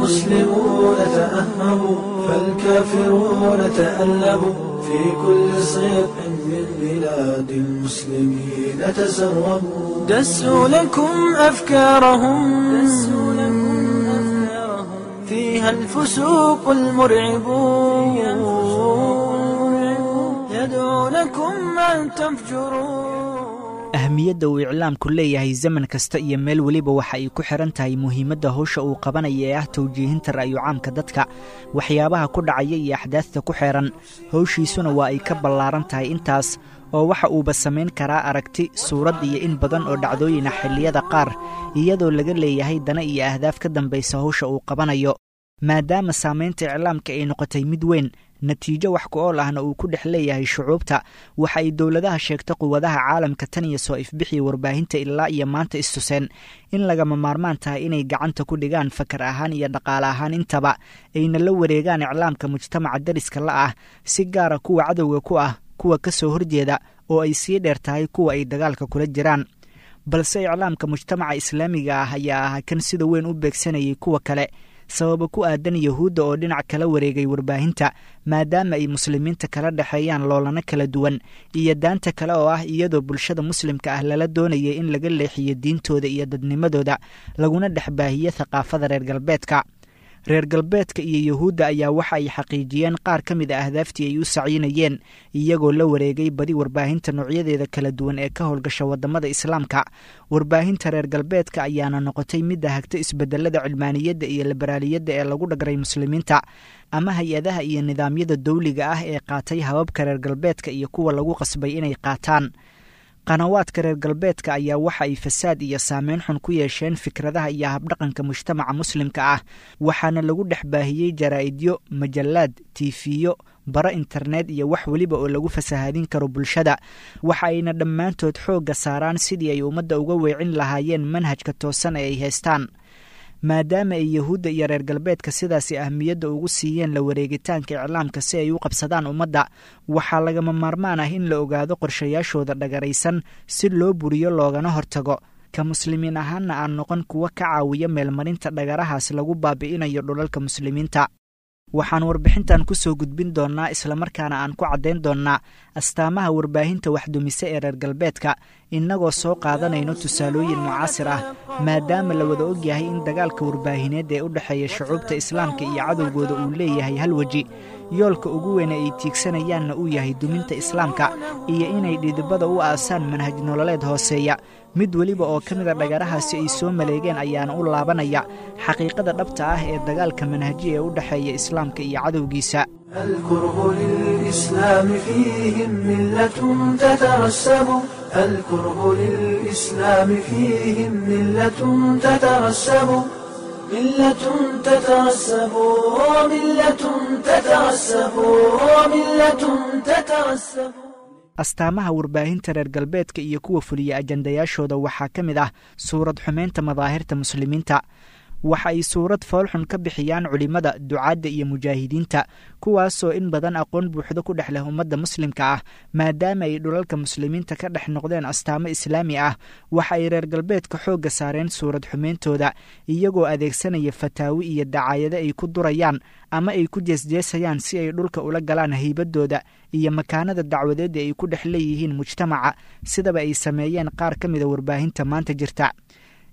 المسلمون تأهبوا، فالكافرون تألبوا، في كل صيف من بلاد المسلمين تسربوا، دسوا لكم أفكارهم، فيها الفسوق المرعب، يدعونكم أن تفجروا. Ahmiyadda uu iclaamku leeyahay zaman kasta iyo meel weliba waxa ay ku xihan tahay muhiimadda howsha uu qabanaya ee ah tawjiihinta ra'yu caamka dadka, waxyaabaha ku dhacaya iyo axdaadta ku xeeran. Howshiisuna waa ay ka ballaaran tahay intaas, oo waxa uuba samayn karaa aragti, suurad iyo in badan oo dhacdooyina xilliyada qaar, iyadoo laga leeyahay dana iyo ahdaaf ka dambaysa howsha uu qabanayo. Maadaama saamaynta iclaamka ay noqotay mid weyn, natiijo wax ku ool ahna uu ku dhex leeyahay shucuubta, waxa ay dowladaha sheegta quwadaha caalamka tan iyo soo ifbixii warbaahinta ilaa iyo maanta istuseen in lagama maarmaan tahay inay gacanta ku dhigaan fakar ahaan iyo dhaqaale ahaan intaba, ayna la wareegaan iclaamka mujtamaca dariska la ah, si gaara kuwa cadowga ku ah, kuwa ka soo horjeeda, oo ay sii dheer tahay kuwa ay dagaalka kula jiraan. Balse iclaamka mujtamaca islaamiga ah ayaa ahaa kan sida weyn u beegsanayay kuwa kale, sababa ku aadan Yahuudda oo dhinac kala wareegay warbaahinta, maadaama ay muslimiinta kala dhexeeyaan loolana kala duwan, iyo daanta kale oo ah iyadoo bulshada muslimka ah lala doonayay in laga leexiyo diintooda iyo dadnimadooda, laguna dhex baahiyo thaqaafada reer galbeedka. Reer galbeedka iyo Yahuudda ayaa waxa ay xaqiijiyeen qaar ka mid a ahdaaftii ay u sacyinayeen, iyagoo la wareegay badi warbaahinta noocyadeeda kala duwan ee ka howlgasha waddamada islaamka. Warbaahinta reer galbeedka ayaana noqotay midda hagta isbedelada cilmaaniyadda iyo liberaaliyadda ee lagu dhagray muslimiinta, ama hay-adaha iyo nidaamyada dawliga ah ee qaatay hababka reer galbeedka iyo kuwa lagu qasbay inay qaataan. Qanawaadka reer galbeedka ayaa waxa ay fasaad iyo saameyn xun ku yeesheen fikradaha iyo habdhaqanka mujtamaca muslimka ah, waxaana lagu dhex baahiyey jaraa'idyo, majallaad, tiifiyo, baro internet iyo wax weliba oo lagu fasahaadin karo bulshada. Waxa ayna dhammaantood xoogga saaraan sidii ay ummadda uga weecin lahaayeen manhajka toosan ee ay haystaan. Maadaama ay Yahuudda iyo reer galbeedka sidaasi ahmiyadda ugu siiyeen la wareegitaanka iclaamka si ay u qabsadaan ummadda, waxaa lagama maarmaan ah in la ogaado qorshayaashooda dhagaraysan si loo buriyo loogana hortago, ka muslimiin ahaanna aan noqon kuwa ka caawiya meelmarinta dhagarahaas lagu baabi'inayo dhulalka muslimiinta. Waxaan warbixintan ku soo gudbin doonnaa, islamarkaana aan ku caddayn doonnaa astaamaha warbaahinta waxdumise ee reer galbeedka, innagoo soo qaadanayno tusaalooyin mucaasir ah, maadaama la wada ogyahay in dagaalka warbaahineed ee u dhexeeya shucuubta islaamka iyo cadowgooda uu leeyahay hal weji, yoolka ugu weyne ay tiigsanayaanna uu yahay duminta islaamka iyo inay dhidibada u aasaan manhaj nololeed hooseeya. Mid weliba oo ka mida dhagarahaasi ay soo maleegeen ayaana u laabanaya xaqiiqada dhabta ah ee dagaalka manhaji ee u dhexeeya islaamka iyo cadowgiisa. الكره للإسلام فيهم ملة تترسب، الكره للإسلام فيهم ملة تترسب، ملة تترسب، ملة تترسب، ملة تترسب. Astaamaha warbaahinta reer galbeedka iyo kuwa fuliya ajandayaashooda waxaa ka mid ah suurad xumaynta madaahirta muslimiinta. Waxa ay suurad foolxun ka bixiyaan culimmada, ducaadda iyo mujaahidiinta, kuwaasoo in badan aqoon buuxdo ku dhex leh ummadda muslimka ah. Maadaama ay dhulalka muslimiinta ka dhex noqdeen astaamo islaami ah, waxa ay reer galbeedka xoogga saareen suurad xumeyntooda, iyagoo adeegsanaya fataawi iyo dacaayado ay ku durayaan ama ay ku jeesjeesayaan si ay dhulka ula galaan haybadooda iyo makaanada dacwadeedda ay ku dhex leeyihiin mujtamaca, sidaba ay sameeyeen qaar ka mida warbaahinta maanta jirta.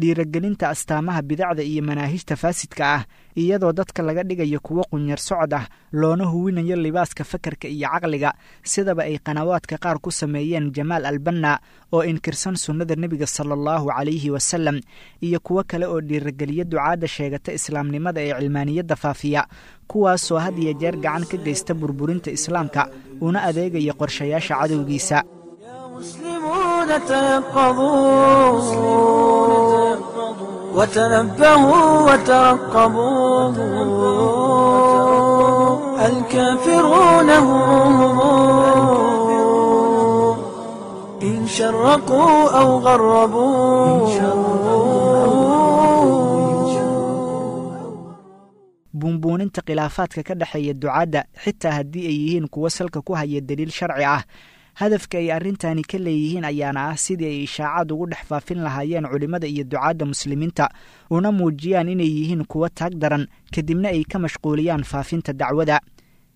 Dhiiragelinta astaamaha bidacda iyo manaahijta faasidka ah, iyadoo dadka laga dhigayo kuwo qunyar socod ah, loona huwinayo libaaska fakarka iyo caqliga, sidaba ay qanawaadka qaar ku sameeyeen Jamaal Albanna oo inkirsan sunnada nebiga sala allahu calayhi wasalam, iyo kuwo kale oo dhiirageliya ducaadda sheegata islaamnimada ee cilmaaniyadda faafiya, kuwaasoo had iyo jeer gacan ka geysta burburinta islaamka una adeegaya qorshayaasha cadowgiisa. المسلمون تيقظوا وتنبهوا وترقبوا، الكافرون هم إن شرقوا أو غربوا. Buunbuuninta khilaafaadka ka dhexeeya ducaadda, xitaa haddii ay yihiin kuwo salka ku haya daliil sharci ah. Hadafka ay arrintani ka leeyihiin ayaana ah sidii ay ishaacaad ugu dhex faafin lahaayeen culimmada iyo ducaadda muslimiinta, una muujiyaan inay yihiin kuwo taag daran, kadibna ay ka mashquuliyaan faafinta dacwada.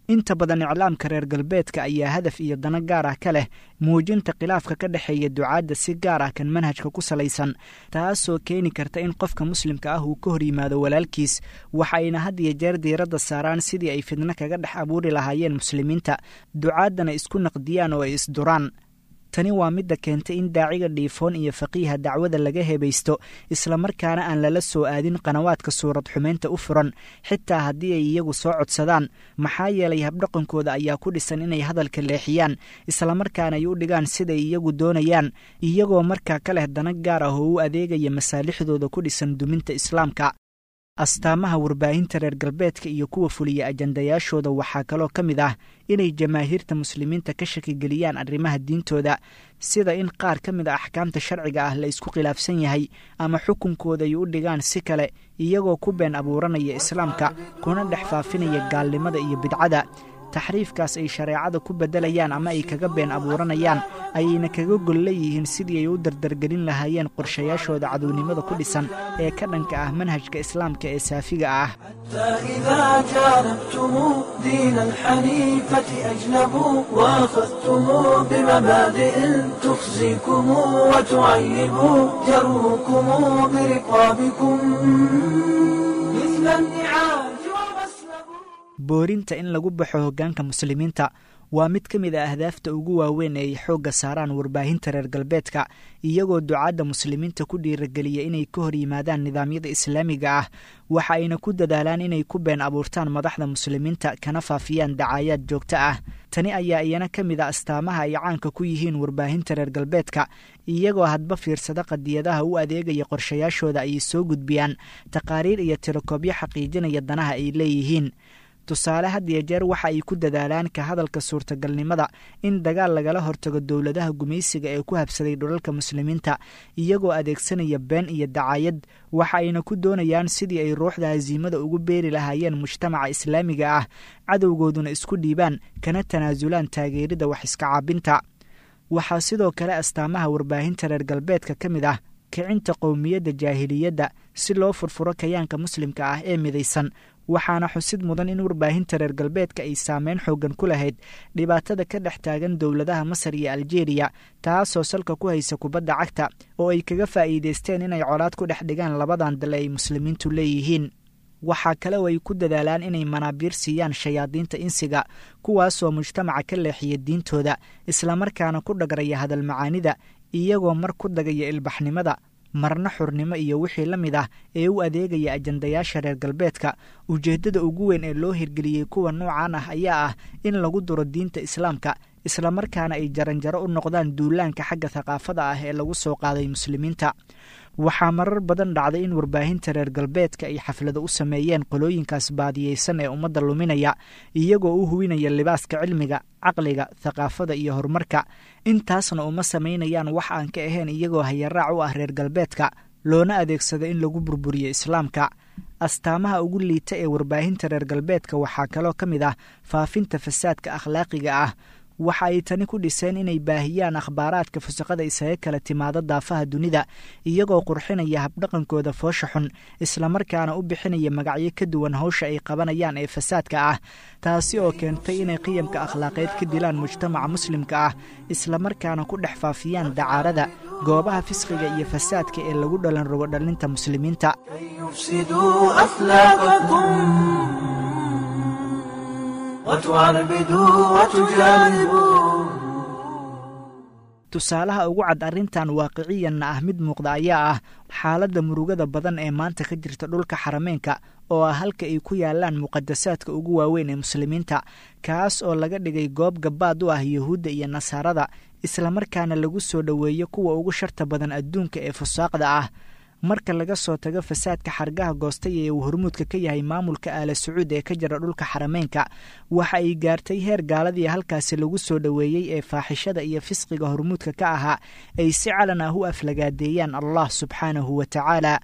Inta badan iclaamka reer galbeedka ayaa hadaf iyo dano gaar ah ka leh muujinta khilaafka ka dhexeeya ducaadda, si gaar ah kan manhajka ku salaysan, taasoo keeni karta in qofka muslimka ah uu ka hor yimaado walaalkiis. Waxayna had iyo jeer diiradda saaraan sidii ay fidno kaga dhex abuuri lahaayeen muslimiinta, ducaaddana isku naqdiyaan oo ay isduraan. Tani waa midda keentay in daaciga dhiifoon iyo faqiiha dacwada laga hebaysto, islamarkaana aan lala soo aadin qanawaadka suurad xumeynta u furan, xitaa haddii ay iyagu soo codsadaan. Maxaa yeelay habdhaqankooda ayaa ku dhisan inay hadalka leexiyaan, islamarkaana ay u dhigaan siday iyagu doonayaan, iyagoo markaa ka leh dana gaar ah oo u adeegaya masaalixdooda ku dhisan duminta islaamka. Astaamaha warbaahinta reer galbeedka iyo kuwa fuliya ajandayaashooda waxaa kaloo ka mid ah inay jamaahiirta muslimiinta ka shakigeliyaan arrimaha diintooda, sida in qaar ka mid a axkaamta sharciga ah la isku khilaafsan yahay ama xukunkooda ay u dhigaan si kale, iyagoo ku been abuuranaya islaamka kuna dhex faafinaya gaalnimada iyo bidcada. Taxriifkaas ay shareecada ku beddelayaan ama ay kaga been abuuranayaan ayayna kaga gol leeyihiin sidii ay u dardargelin lahaayeen qorshayaashooda cadownimada ku dhisan ee ka dhanka ah manhajka islaamka ee saafiga ah. إذا جانبتم دين الحنيفة أجنبوا وأخذتم بمبادئ تخزيكم وتعيب، جروكم برقابكم مثل النعاج ومسلبوا. Boorinta in lagu baxo hoggaanka muslimiinta waa mid ka mid a ahdaafta ugu waaweyn ee ay xoogga saaraan warbaahinta reer galbeedka, iyagoo ducaadda muslimiinta ku dhiirageliya inay ka hor yimaadaan nidaamyada islaamiga ah. Waxa ayna ku dadaalaan inay ku been abuurtaan madaxda muslimiinta, kana faafiyaan dacaayaad joogto ah. Tani ayaa iyana ka mid a astaamaha ay caanka ku yihiin warbaahinta reer galbeedka, iyagoo hadba fiirsada qadiyadaha u adeegaya qorshayaashooda ayay soo gudbiyaan taqaariir iyo tirakoobyo xaqiijinaya danaha ay leeyihiin. Tusaale, had iyo jeer waxa ay ku dadaalaan ka hadalka suurtagalnimada in dagaal lagala hortago dowladaha gumaysiga ee ku habsaday dhulalka muslimiinta, iyagoo adeegsanaya been iyo dacaayad. Waxa ayna ku doonayaan sidii ay ruuxda hasiimada ugu beeri lahaayeen mujtamaca islaamiga ah, cadowgooduna isku dhiibaan kana tanaasulaan taageerida wax iska caabinta. Waxaa sidoo kale astaamaha warbaahinta reer galbeedka ka mid ah kicinta qowmiyadda jaahiliyadda si loo furfuro kayaanka muslimka ah ee midaysan. Waxaana xusid mudan in warbaahinta reer galbeedka ay saameyn xooggan ku lahayd dhibaatada ka dhex taagan dowladaha Masar iyo Aljeeriya, taasoo salka ku haysa kubadda cagta oo ay kaga faa'iidaysteen inay colaad ku dhex dhigaan labadan dal ay muslimiintu leeyihiin. Waxaa kale oo ay ku dadaalaan inay manaabiir siiyaan shayaadiinta insiga, kuwaasoo mujtamaca ka leexiya diintooda, islamarkaana ku dhagraya hadalmacaanida, iyagoo mar ku dagaya ilbaxnimada, marna xurnimo iyo wixii la mid ah ee u adeegaya ajandayaasha reer galbeedka. Ujeeddada ugu weyn ee loo hirgeliyey kuwa noocan ah ayaa ah in lagu duro diinta islaamka, islamarkaana ay jaranjaro u noqdaan duulaanka xagga thaqaafada ah ee lagu soo qaaday muslimiinta. Waxaa marar badan dhacday in warbaahinta reer galbeedka ay xaflado u sameeyeen qolooyinkaas baadiyeysan ee ummadda luminaya, iyagoo u huwinaya libaaska cilmiga, caqliga, thaqaafada iyo horumarka. Intaasna uma samaynayaan wax aan ka ahayn iyagoo hayaraac u ah reer galbeedka, loona adeegsado in lagu burburiyo islaamka. Astaamaha ugu liita ee warbaahinta reer galbeedka waxaa kaloo ka mid ah faafinta fasaadka akhlaaqiga ah. Waxa ay tani ku dhiseen inay baahiyaan akhbaaraadka fusaqada isaga kala timaada daafaha dunida, iyagoo qurxinaya habdhaqankooda foosha xun, islamarkaana u bixinaya magacyo ka duwan hawsha ay qabanayaan ee fasaadka ah, taasi oo keentay inay qiyamka akhlaaqeed ka dilaan mujtamaca muslimka ah, islamarkaana ku dhex faafiyaan dacaarada, goobaha fisqiga iyo fasaadka ee lagu dhalan rogo dhalinta muslimiinta. كي يفسدوا أخلاقكم وتعربدوا وتجانبوا. Tusaalaha ugu cad arrintan waaqiciyanna ah mid muuqda ayaa ah xaaladda murugada badan ee maanta ka jirta dhulka xarameenka, oo ah halka ay ku yaalaan muqadasaadka ugu waaweyn ee muslimiinta, kaas oo laga dhigay goob gabaad u ah yuhuudda iyo nasaarada, islamarkaana lagu soo dhoweeyo kuwa ugu sharta badan adduunka ee fusaaqda ah. Marka laga soo tago fasaadka xargaha goostay ee uu hormuudka ka yahay maamulka Aala Sacuud ee ka jira dhulka xarameenka, waxa ay gaartay heer gaaladii halkaasi lagu soo dhoweeyey ee faaxishada iyo fisqiga hormuudka ka ahaa ay si calan ah u aflagaadeeyaan Allah subxaanahu wa tacaala.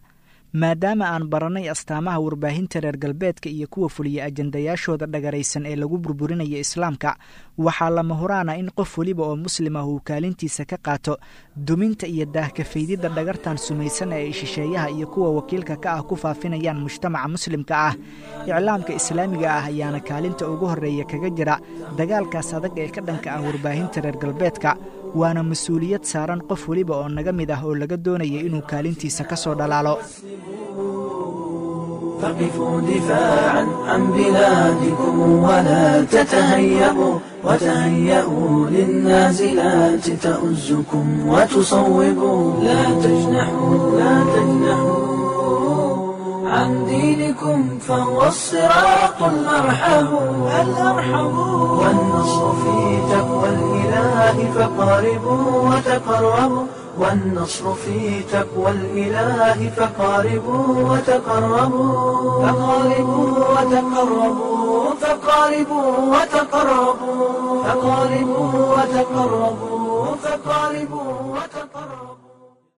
Maadaama aan baranay astaamaha warbaahinta reer galbeedka iyo kuwa fuliya ajandayaashooda dhagaraysan ee lagu burburinaya islaamka, waxaa lama huraana in qof weliba oo muslim ah uu kaalintiisa ka qaato duminta iyo daahkafaydidda dhagartan sumaysan ee ay shisheeyaha iyo kuwa wakiilka ka ah ku faafinayaan mujtamaca muslimka ah. Iclaamka islaamiga ah ayaana kaalinta ugu horreeya kaga jira dagaalkaas adag ee ka dhanka ah warbaahinta reer galbeedka, waana mas-uuliyad saaran qof weliba oo naga mid ah oo laga doonaya inuu kaalintiisa ka soo dhalaalo. فقفوا دفاعا عن بلادكم ولا تتهيبوا، وتهيئوا للنازلات تؤزكم وتصوبوا. لا تجنحوا، لا تجنحوا عن دينكم فهو الصراط الأرحم الأرحم. والنصر في تقوى الإله فقاربوا وتقربوا، والنصر في تقوى الإله فقاربوا وتقربوا، فقاربوا وتقربوا، فقاربوا وتقربوا، فقاربوا وتقربوا، فقاربوا وتقربوا.